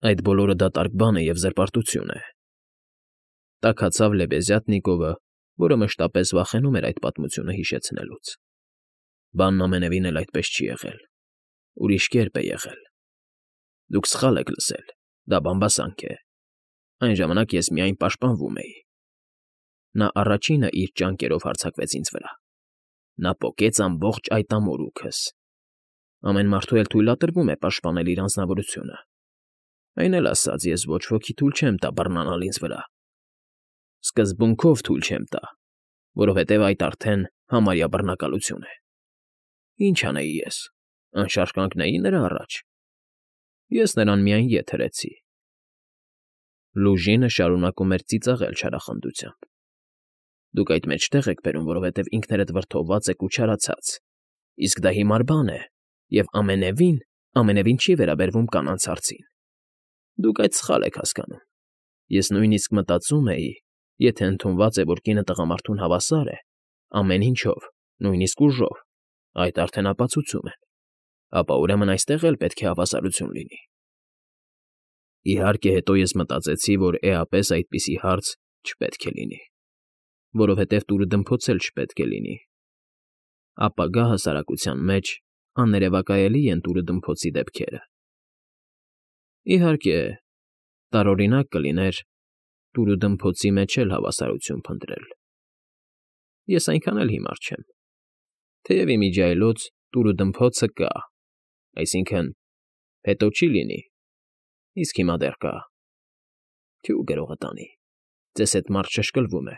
Այդ բոլորը դատարկ բան է և զրպարտություն է,֊ տաքացավ Լեբեզյատնիկովը, որը մշտապես վախենում էր այդ պատմությունը հիշեցնելուց։ Բանն ամենևին էլ այդպես չի եղել, ուրիշ կերպ է եղել։ Դուք սխալ եք լսել, դա բամբասանք է։ Այն ժամանակ ես միայն պաշտպանվում էի։ Նա առաջինը իր ճանկերով հարձակվեց ինձ վրա։ Նա պոկեց ամբողջ այդ ամորուքս։ Ամեն մարդու էլ թույլատրվում է պաշտպանել իր անձնավորությունը։ Այն էլ ասած, ես ոչ ոքի թույլ չեմ տա բռնանալ ինձ վրա։ Սկզբունքով թույլ չեմ տա, որովհետև այդ արդեն համարյա բռնակալություն է։ Ինչ անեի ես, անշարժ կանգնեի նրա առաջ։ Ես նրան միայն ետ հրեցի։ Լուժինը շարունակում էր ծիծաղել չարախնդությամբ։ Դուք այդ մեջտեղ եք բերում, որովհետև ինքներդ վրդովված եք ու չարացած, իսկ դա հիմար բան է և ամենևին չի վերաբերվում կանանց հարցին։ Դուք այդ սխալ եք հասկանում։ Ես նույնիսկ մտածում էի, եթե ընդունված է, որ կինը տղամարդուն հավասար է, ամեն ինչով, նույնիսկ ուժով, այդ արդեն ապացուցում են, ապա ուրեմն այստեղ էլ պետք է հավասարություն լինի։ Իհարկե, հետո ես մտածեցի, որ էապես այդպիսի հարց չպետք է լինի, որովհետև տուրը դմփոցել չպետք է լինի։ Ապագա հասարակության մեջ աներևակայելի են տուրը դմփոցի դեպքերը։ Իհարկե, տարօրինակ կլիներ տուրը դմփոցի մեջ էլ հավասարություն փնտրել։ Ես այնքան էլ հիմար չեմ, թեև իմիջիայլոց տուրը դմփոցը կա, այսինքն՝ հետո չի լինի, իսկ հիմա դեռ կա։ Թյու գրողը տանի, ձեզ հետ մարդ շշկլվում է։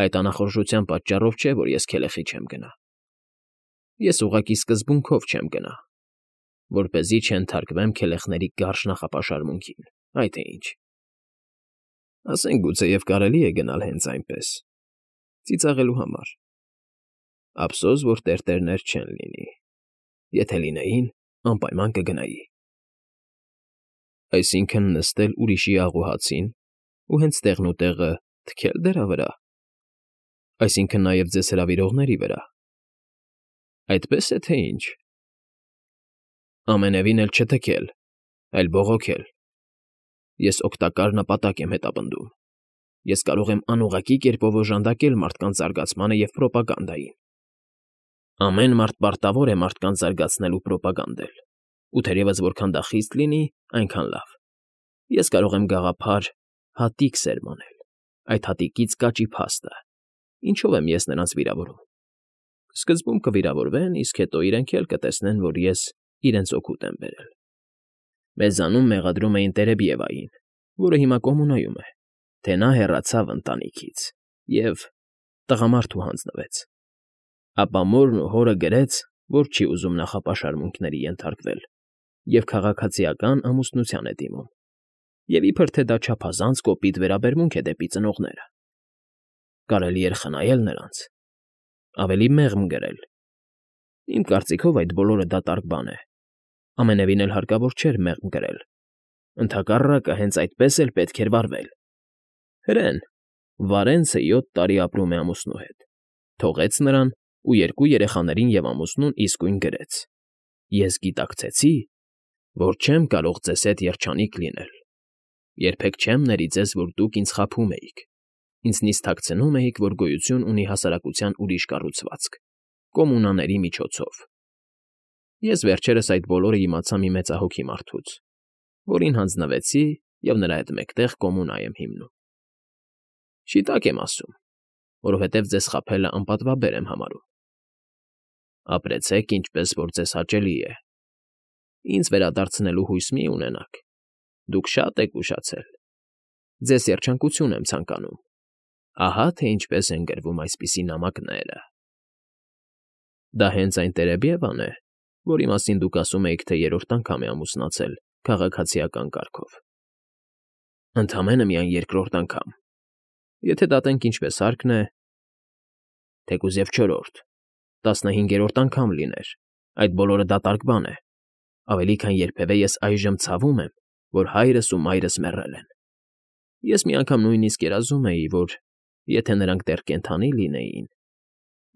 Այդ անախորժության պատճառով չէ, որ ես քելեխի չեմ գնա։ Ես ուղղակի սկզբունքով չեմ գնա, որպեսզի չենթարկվեմ քելեխների կարճ նախապաշարմունքին, այդ է ինչ։ Ասենք գուցեև կարելի է գնալ հենց այնպես, ծիծաղելու համար։ Ափսոս, որ տերտերներ չեն լինի։ Եթե լինեին, անպայման կգնայի։ Այսինքն նստել ուրիշի աղուհացին ու հենց տեղնուտեղը թքել դրա վրա։ Այսինքն նաև ձեզ հրավիրողների վրա։ Այդպես է թե ինչ։ Ամենևին էլ չթքել, այլ բողոքել։ Ես օգտակար նպատակ եմ հետապնդում։ Ես կարող եմ անուղղակի կերպով օժանդակել մարդկանց զարգացմանը և պրոպագանդային։ Ամեն մարդ պարտավոր է մարդկանց զարգացնել ու պրոպագանդել, ու թերևս որքան դա խիստ լինի, այնքան լավ։ Ես կարող եմ գաղափար, հատիկ սերմանել, այդ հատիկից կաճի փաստը։ Ինչով եմ ես նրանց վիրավորում։ Սկզբում կվիրավորվեն, իսկ հետո իրենք էլ կտեսնեն, որ ես իրենց օգուտ եմ բերել։ Մեզանում մեղադրում էին Տերեբիևային, որը հիմա կոմունայում է, թե նա հեռացավ ընտանիքից և տղամարդու հանձնվեց։ Ապա մորն ու հորը գրեց, որ չի ուզում նախապաշարմունքների ենթարկվել և քաղաքացիական ամուսնության է դիմում, և իբր թե դա չափազանց կոպիտ վերաբերմունք է դեպի ծնողները։ Կարելի էր խնայել նրանց, ավելի մեղմ գրել։ Իմ կարծիքով այդ բոլորը դատարկ բան է, ամենևին էլ հարկավոր չէր մեղմ գրել։ Ընդհակառակը հենց այդպես էլ պետք էր վարվել։ Հրեն, Վարենցը 7 տարի ապրում է ամուսնու հետ, թողեց նրան ու 2 երեխաներին և ամուսնուն իսկույն գրեց. Ես գիտակցեցի, որ չեմ կարող ձեզ հետ երջանիկ լինել։ Երբեք չեմ ների ձեզ, որ դուք ինձ խաբում էիք։ Ինձնից թաքցնում էիք, որ գոյություն ունի հասարակության ուրիշ կառուցվածք, կոմունաների միջոցով։ Ես վերջերս այդ բոլորը իմացա մի մեծահոգի մարդուց, որին հանձնվեցի և նրա հետ մեկտեղ կոմունա եմ հիմնում։ Շիտակ եմ ասում, որովհետև ձեզ խաբելը անպատվաբեր եմ համարում։ Ապրեցեք, ինչպես որ ձեզ հաճելի է։ Ինձ վերադարձնելու հույս մի ունենաք։ Դուք շատ եք ուշացել։ Ձեզ երջանկություն եմ ցանկանում։ Ահա թե ինչպես են գրվում այսպիսի նամակները։ Դա հենց այն Տերեբիևան է, որի մասին դուք ասում էիք, թե 3-րդ անգամ է ամուսնացել քաղաքացիական կարգով։ Ընդամենը միայն 2-րդ անգամ։ Եթե դատենք ինչպես հարկն է, թեկուզ և 4-րդ, 15-րդ անգամ լիներ, այդ բոլորը դատարկ բան է։ Ավելի քան երբևէ ես այժմ ցավում եմ, որ հայրս ու մայրս մեռել են։ Ես մի անգամ նույնիսկ երազում էի, որ եթե նրանք դեռ կենդանի լինեին,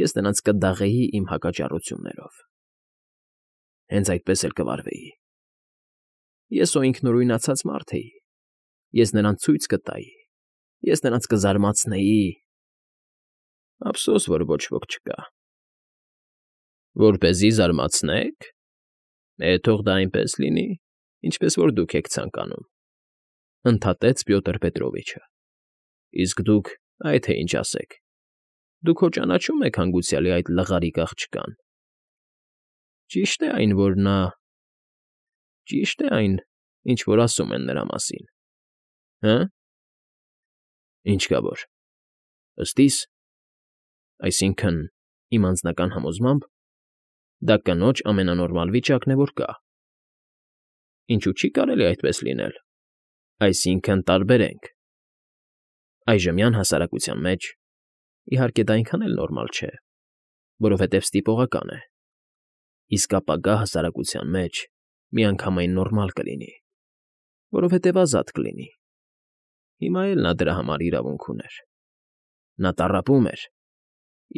ես նրանց կդաղեի իմ հակաճառություններով։ Հենց այդպես էլ կվարվեի։ Ես ինքնուրույնացած մարդ էի։ Ես նրանց ցույց կտայի։ Ես նրանց կզարմացնեի։ Ափսոս, որ ոչ ոք չկա։ Որպեսզի զարմացնեք։ Թող դա այնպես լինի, ինչպես որ դուք եք ցանկանում, ընդհատեց Պյոտր Պետրովիչը։ Իսկ դուք այդ թե ինչ ասեք։ Դուք հո ճանաչում եք հանգուցյալի այդ լղարիկ աղջկան։ Ճիշտ է այն, որ նա… Ճիշտ է այն, ինչ որ ասում են նրա մասին։ Հը՞։ Ինչ կա որ։ Ըստ իս, այսինքն, իմ անձնական համոզմամբ, դա կնոջ ամենանորմալ վիճակն է, որ կա։ Ինչու չի կարելի այդպես լինել։ Այսինքն, տարբերենք։ Այժմյան հասարակության մեջ, իհարկե, դա այնքան էլ նորմալ չէ, որովհետև ստիպողական է։ Իսկ ապագա հասարակության մեջ միանգամայն նորմալ կլինի, որովհետև ազատ կլինի։ Հիմա էլ նա դրա համար իրավունք ուներ։ Նա տառապում էր,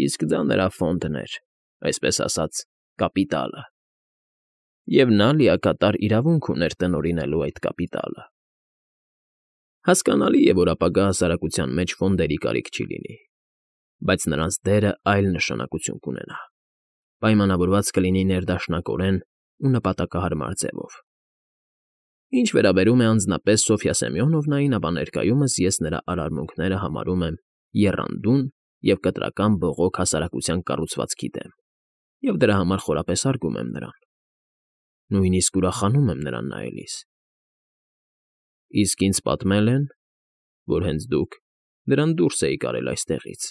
իսկ դա նրա ֆոնդն էր, այսպես ասած, կապիտալը։ Եվ նա լիակատար իրավունք ուներ տնօրինելու այդ կապիտալը։ Հասկանալի է, որ ապագա հասարակության մեջ ֆոնդերի կարիք չի լինի, բայց նրանց դերը այլ նշանակություն կունենա։ Պայմանավորված կլինի ներդաշնակորեն ու նպատակահարմար ձևով։ Ինչ վերաբերում է անձնապես Սոֆյա Սեմյոնովնային, ապա ներկայումս ես նրա արարմունքները համարում եմ եռանդուն և կտրական բողոք հասարակության կառուցվածքի դեմ, և դրա համար խորապես հարգում եմ նրան։ Նույնիսկ ուրախանում եմ նրան նայելիս։ Իսկ ինձ պատմել են, որ հենց դուք նրան դուրս էիք արել այստեղից,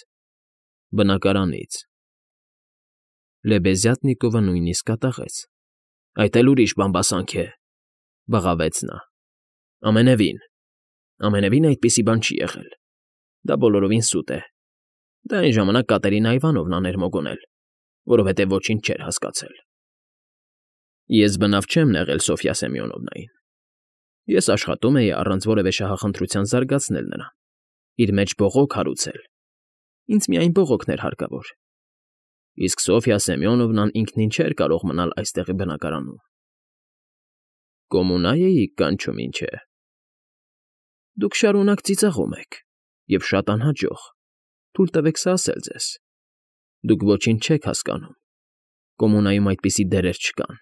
բնակարանից։ Լեբեզյատնիկովը նույնիսկ կատաղեց։ Այդ էլ ուրիշ բամբասանք է, բղավեց նա։ Ամենևին այդպիսի բան չի եղել։ Դա բոլորովին սուտ է։ Դա այն ժամանակ Կատերինա Իվանովնան էր մոգոնել, որովհետև ոչինչ չէր հասկացել։ Ես բնավ չեմ նեղել Սոֆյա Սեմյոնովնային։ Ես աշխատում էի առանց որևէ շահախնդրության զարգացնել նրան, իր մեջ բողոք հարուցել։ Ինձ միայն բողոքն էր հարկավոր։ Իսկ Սոֆյա Սեմյոնովնան ինքնին չէր կարող մնալ այստեղի բնակարանում։ Կոմունա էիք կանչում, ինչ է։ Դուք շարունակ ծիծաղում եք, և շատ անհաջող, թույլ տվեք սա ասել ձեզ։ Դուք ոչինչ չեք հասկանում։ Կոմունայում այդպիսի դերեր չկան։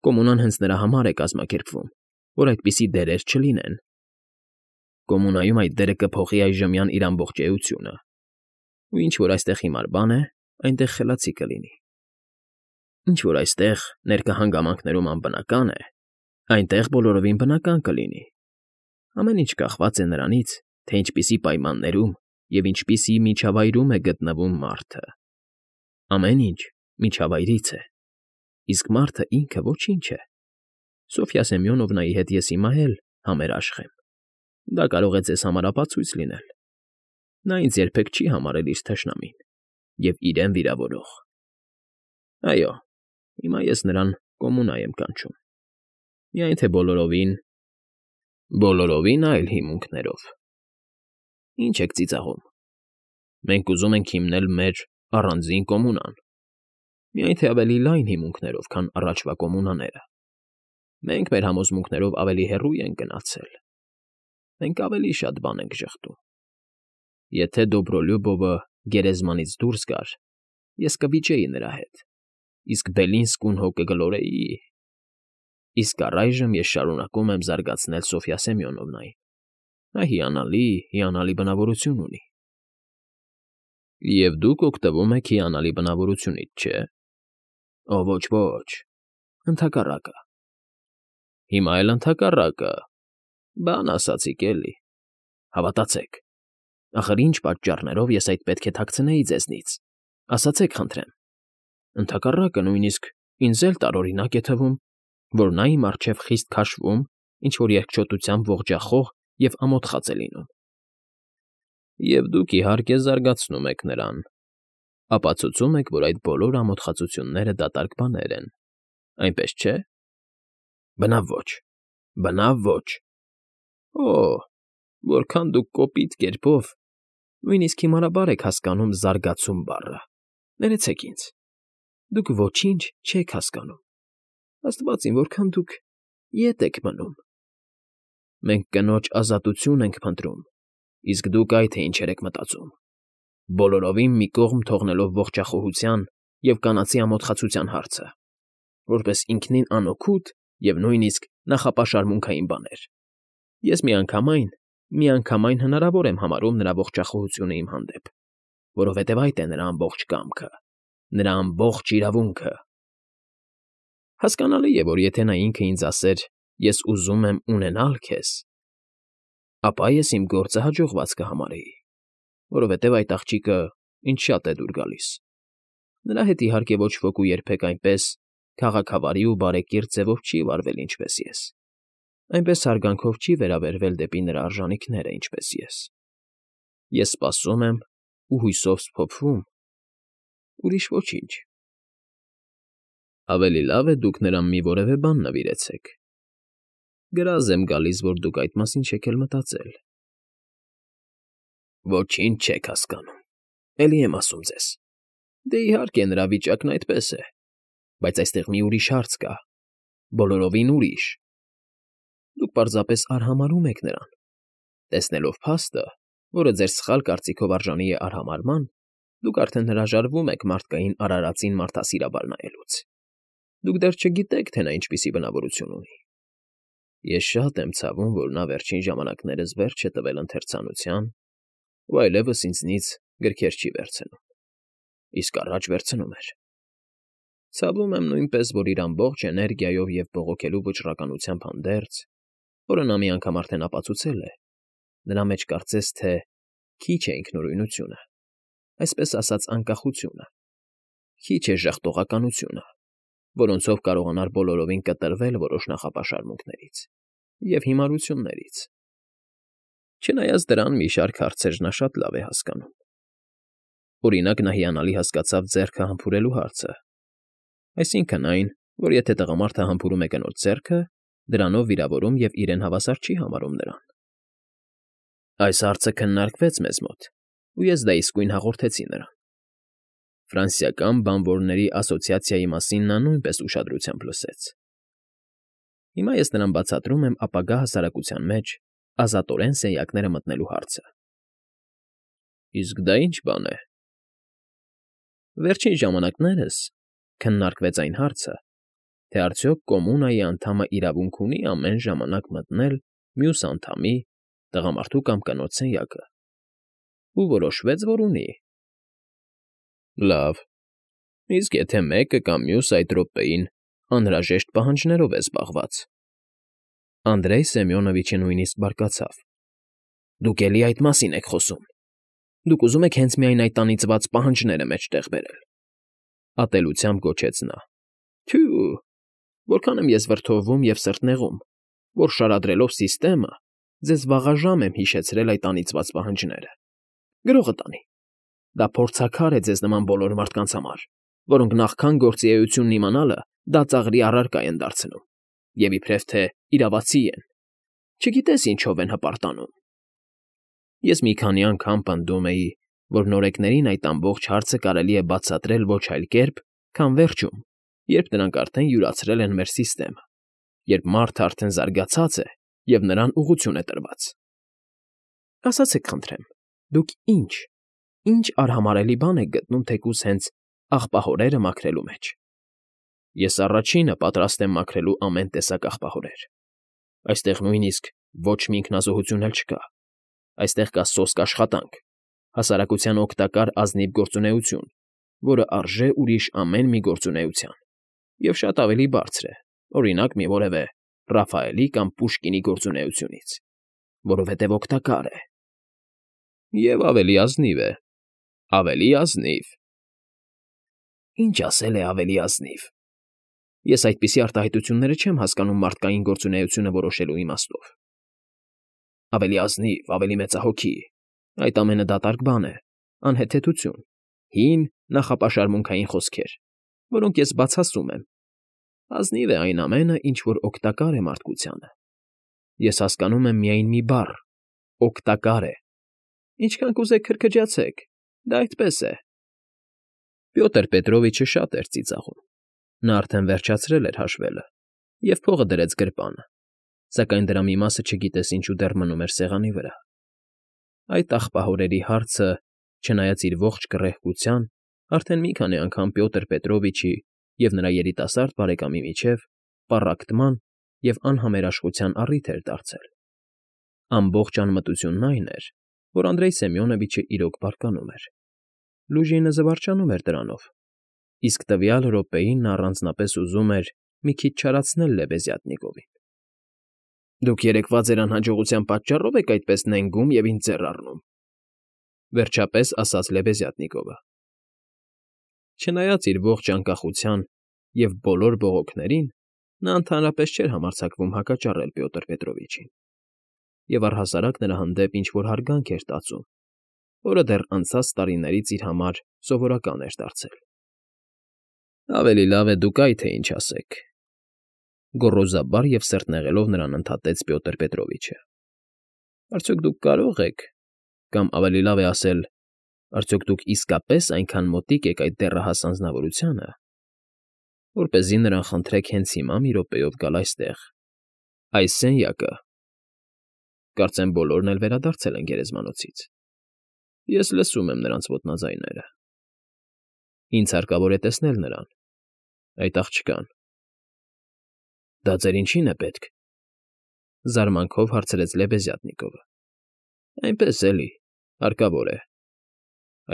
Կոմունան հենց նրա համար է կազմակերպվում, որ այդպիսի դերեր չլինեն։ Կոմունայում այդ դերը կփոխի այժմյան իր ամբողջ էությունը։ Ու ինչ որ այստեղ հիմար բան է, այնտեղ խելացի կլինի։ Ինչ որ այստեղ ներկա հանգամանքներում անբնական է, այնտեղ բոլորովին բնական կլինի։ Ամեն ինչ կախված է նրանից, թե ինչպիսի պայմաններում և ինչպիսի միջավայրում է գտնվում մարդը։ Ամեն ինչ միջավայրից է, իսկ մարդը ինքը ոչինչ է։ Սոֆյա Սեմյոնովնայի հետ ես հիմա էլ համերաշխ եմ։ Դա կարող է ձեզ համար ապացույց լինել։ Նա ինձ երբեք չի համարել իր թշնամին և իրեն վիրավորող։ Այո, հիմա ես նրան կոմունա եմ կանչում։ Միայն թե բոլորովին այլ հիմունքներով։ Ինչ եք ծիծաղում։ Մենք ուզում ենք հիմնել մեր առանձին կոմունան։ Միայն թե ավելի լայն հիմունքներով, քան առաջվա կոմունաները։ Մենք մեր համոզմունքներով ավելի հեռու ենք գնացել։ Մենք ավելի շատ բան ենք ժխտում։ Եթե Դոբրոլյուբովը գերեզմանից դուրս գար, ես կվիճեի նրա հետ, իսկ Բելինսկուն հո կգլորեի։ Իսկ առայժմ ես շարունակում եմ զարգացնել Սոֆյա Սեմյոնովնային։ Նա հիանալի բնավորություն ունի։ Եվ դուք օգտվում եք հիանալի բնավորությունից, չէ՞։ Ոչ, ընդհակառակը։ Հիմա էլ ընդհակառակը։ Բան ասացիք էլի։ Հավատացեք։ Ախր ինչ պատճառներով ես այդ պետք է թաքցնեի ձեզնից։ Ասացեք, խնդրեմ։ Ընդհակառակը, նույնիսկ ինձ էլ տարօրինակ է թվում, որ նա իմ առջև խիստ քաշվում, ինչ֊որ երկչոտությամբ ողջախոհ և ամոթխած է լինում։ Եվ դուք, իհարկե, զարգացնում եք նրան։ Ապացուցում եք, որ այդ բոլոր ամոթխածությունները դատարկ բաներ են, այնպես չէ՞։ Բնավ ոչ։ Որքան դուք կոպիտ կերպով, նույնիսկ հիմարաբար եք հասկանում զարգացում բառը։ Ներեցեք ինձ։ Դուք ոչինչ չեք հասկանում։ Աստված իմ, որքան դուք Ետ եք մնում։ Մենք կնոջ ազատություն ենք փնտրում, իսկ դուք այ թե ինչեր եք մտածում, բոլորովին մի կողմ թողնելով ողջախոհության և կանացի ամոթխացության հարցը, որպես ինքնին անօգուտ և նույնիսկ նախապաշարմունքային բաներ։ Ես միանգամայն հնարավոր եմ համարում նրա ողջախոհությունը իմ հանդեպ, որովհետև այդ է նրա ամբողջ կամքը, նրա ամբողջ իրավունքը։ Հասկանալի է, որ եթե նա ինքը ինձ ասեր. «Ես ուզում եմ ունենալ քեզ», ապա ես իմ գործը հաջողված կհամարեի, որովհետև այդ աղջիկը ինձ շատ է դուր գալիս։ Նրա հետ, իհարկե, ոչ ոք ու երբեք այնպես քաղաքավարի ու բարեկիրթ ձևով չի վարվել, ինչպես ես, այնպես հարգանքով չի վերաբերվել դեպի նրա արժանիքները, ինչպես ես։ Ես սպասում եմ ու հույսով սփոփվում, ուրիշ ոչինչ։ Ավելի լավ է դուք նրան մի որևէ բան նվիրեցեք։ Գրազ եմ գալիս, որ դուք այդ մասին չեք էլ մտածել։ Ոչինչ չեք հասկանում, էլի եմ ասում ձեզ։ Դե իհարկե նրա վիճակն այդպես է, բայց այստեղ մի ուրիշ հարց կա, բոլորովին ուրիշ։ Դուք պարզապես արհամարհում եք նրան։ Տեսնելով փաստը, որը ձեր սխալ կարծիքով արժանի է արհամարհման, դուք արդեն հրաժարվում եք մարդկային արարածին մարդասիրաբար նայելուց։ Դուք դեռ չգիտեք, թե նա ինչպիսի բնավորություն ունի։ Ես շատ եմ ցավում, որ նա վերջին ժամանակներս վերջ է տվել ընթերցանության ու այլևս ինձնից գրքեր չի վերցնում, իսկ առաջ վերցնում էր։ Ցավում եմ նույնպես, որ իր ամբողջ էներգիայով և բողոքելու վճռականությամբ հանդերձ, որը նա մի անգամ արդեն ապացուցել է, նրա մեջ կարծես թե քիչ է ինքնուրույնությունը, այսպես ասած անկախությունը, քիչ է ժաղտողականությունը, որոնցով կարողանար բոլորովին կտրվել որոշ նախապաշարմունքներից և հիմարություններից։ Չնայած դրան, մի շարք հարցեր նա շատ լավ է հասկանում։ Օրինակ, նա հիանալի հասկացավ ձեռքը համբուրելու հարցը, այսինքն այն, որ եթե տղամարդը համբուրում է կնոջ ձեռքը, դրանով վիրավորում և իրեն հավասար չի համարում նրան։ Այս հարցը քննարկվեց մեզ մոտ, ու ես դա իսկույն հաղորդեցի նրան։ Ֆրանսիական բանվորների ասոցիացիայի մասին նա նույնպես ուշադրությամբ լսեց։ Հիմա ես նրան բացատրում եմ ապագա հասարակության մեջ ազատորեն սենյակները մտնելու հարցը։ Իսկ դա ի՞նչ բան է։ Վերջին ժամանակներս քննարկվեց այն հարցը, թե արդյոք կոմունայի անդամը իրավունք ունի ամեն ժամանակ մտնել մյուս անդամի, տղամարդու կամ կնոջ սենյակը, ու որոշվեց, որ ունի։ Լավ, իսկ եթե մեկը կամ մյուսը այդ րոպեին անհրաժեշտ պահանջներով է զբաղված։ Անդրեյ Սեմյոնովիչը նույնիսկ բարկացավ։ Դուք էլի այդ մասին եք խոսում։ Դուք ուզում եք հենց միայն այդ անիծված պահանջները մեջտեղ բերել։ Ատելությամբ գոչեց նա։ Թյու, որքան եմ ես վրդովվում և սրտնեղում, որ շարադրելով սիստեմը, ձեզ վաղաժամ եմ հիշեցրել այդ անիծված պահանջները։ Գրողը տանի։ Դա փորձաքար է ձեզ նման բոլոր մարդկանց համար, որոնք նախքան գործի էությունն իմանալը դա ծաղրի առարկա են դարձնում, և իբրև թե իրավացի են, չգիտես ինչով են հպարտանում։ Ես մի քանի անգամ պնդում էի, որ նորեկներին այդ ամբողջ հարցը կարելի է բացատրել ոչ այլ կերպ, քան վերջում, երբ նրանք արդեն յուրացրել են մեր սիստեմը, երբ մարդը արդեն զարգացած է և նրան ուղղություն է տրված։ Ասացեք խնդրեմ, դուք ինչ արհամարհելի բան եք գտնում թեկուզ հենց աղբահորերը մաքրելու մեջ։ Ես առաջինը պատրաստ եմ մաքրելու ամեն տեսակ աղբահորեր։ Այստեղ նույնիսկ ոչ մի ինքնազոհություն էլ չկա։ Այստեղ կա սոսկ աշխատանք, հասարակության օգտակար ազնիվ գործունեություն, որը արժե ուրիշ ամեն մի գործունեության, և շատ ավելի բարձր է, օրինակ, մի որևէ Ռաֆայելի կամ Պուշկինի գործունեությունից, որովհետև օգտակար է։ Եվ ավելի ազնիվ է, ավելի ազնիվ։ Ինչ ասել է ավելի ազնիվ։ Ես այդպիսի արտահայտությունները չեմ հասկանում մարդկային գործունեությունը որոշելու իմաստով։ Ավելի ազնիվ, ավելի մեծահոգի, այդ ամենը դատարկ բան է, անհեթեթություն, հին նախապաշարմունքային խոսքեր, որոնք ես բացասում եմ։ Ազնիվ է այն ամենը, ինչ որ օգտակար է մարդկությանը։ Ես հասկանում եմ միայն մի բառ՝ օգտակար է։ Ինչքան կուզեք քրքջացեք, դա այդպես է։ Պյոտր Պետրովիչը շատ էր ծիծաղում։ Նա արդեն վերջացրել էր հաշվելը, Եվ փողը դրեց գրպանը, սակայն դրա մի մասը չգիտես ինչու դեռ մնում էր սեղանի վրա։ Այդ աղբահորերի հարցը, չնայած իր ողջ կռեհկության, արդեն մի քանի անգամ Պյոտր Պետրովիչի և նրա երիտասարդ բարեկամի միջև պառակտման և անհամերաշխության առիթ էր դարձել։ Ամբողջ անմտությունն այն էր, որ Անդրեյ Սեմյոնովիչը իրոք բարկանում էր։ Լուժինը զվարճանում էր դրանով, իսկ տվյալ րոպեին նա առանձնապես ուզում էր մի քիչ չարացնել Լեբեզյատնիկովին։ «Դուք երեկվա ձեր անհաջողության պատճառով եք այդպես նենգում և ինձ ձեռ առնում,֊ վերջապես ասաց Լեբեզյատնիկովը։ Չնայած իր ողջ անկախության և բոլոր բողոքներին, նա ընդհանրապես չէր համարձակվում հակաճառել Պյոտր Պետրովիչին, և առհասարակ նրա հանդեպ ինչ֊որ հարգանք էր տածում, որը դեռ անցած տարիներից իր համար սովորական էր դարձել։ «Ավելի լավ է դուք այ թե ինչ ասեք,֊ գոռոզաբար և սրտնեղելով նրան ընդհատեց Պյոտր Պետրովիչը։֊ Արդյոք դուք կարող եք, կամ ավելի լավ է ասել, արդյոք դուք իսկապես այնքան մոտիկ եք այդ դեռահաս անձնավորությանը, որպեսզի նրան խնդրեք հենց հիմա մի րոպեով գալ այստեղ, այս սենյակը… Կարծեմ բոլորն էլ վերադարձել են գերեզմանոցից։ Ես լսում եմ նրանց ոտնաձայները։ Ինձ հարկավոր է տեսնել նրան, այդ աղջկան։ Դա ձեր ինչին է պետք,֊ զարմանքով հարցրեց Լեբեզյատնիկովը։ Այնպես էլի, հարկավոր է։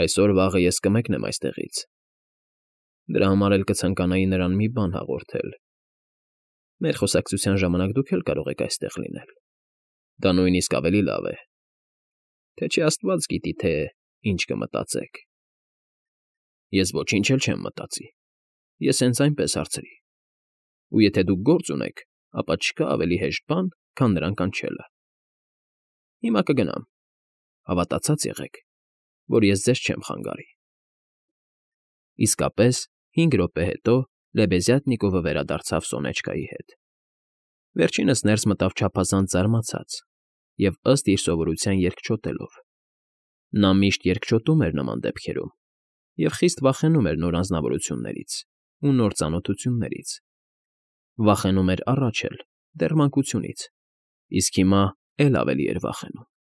Այսօր֊վաղը ես կմեկնեմ այստեղից։ Դրա համար էլ կցանկանայի նրան մի բան հաղորդել։ Մեր խոսակցության ժամանակ դուք էլ կարող եք այստեղ լինել։ Դա նույնիսկ ավելի լավ է, թե չէ աստված գիտի, թե ինչ կմտածեք։ Ես ոչինչ էլ չեմ մտածի, ես հենց այնպես հարցրի։ Ու եթե դուք գործ ունեք, ապա չկա ավելի հեշտ բան, քան նրան կանչելը։ Հիմա կգնամ, հավատացած եղեք, որ ես ձեզ չեմ խանգարի։ Իսկապես, 5 րոպե հետո Լեբեզյատնիկովը վերադարձավ Սոնեչկայի հետ։ Վերջինս ներս մտավ չափազանց զարմացած և ըստ իր սովորության երկչոտելով։ Նա միշտ երկչոտում էր նման դեպքերում և խիստ վախենում էր նոր անձնավորություններից ու նոր ծանոթություններից։ Վախենում էր առաջ էլ, դեռ մանկությունից, իսկ հիմա էլ ավելի էր վախենում։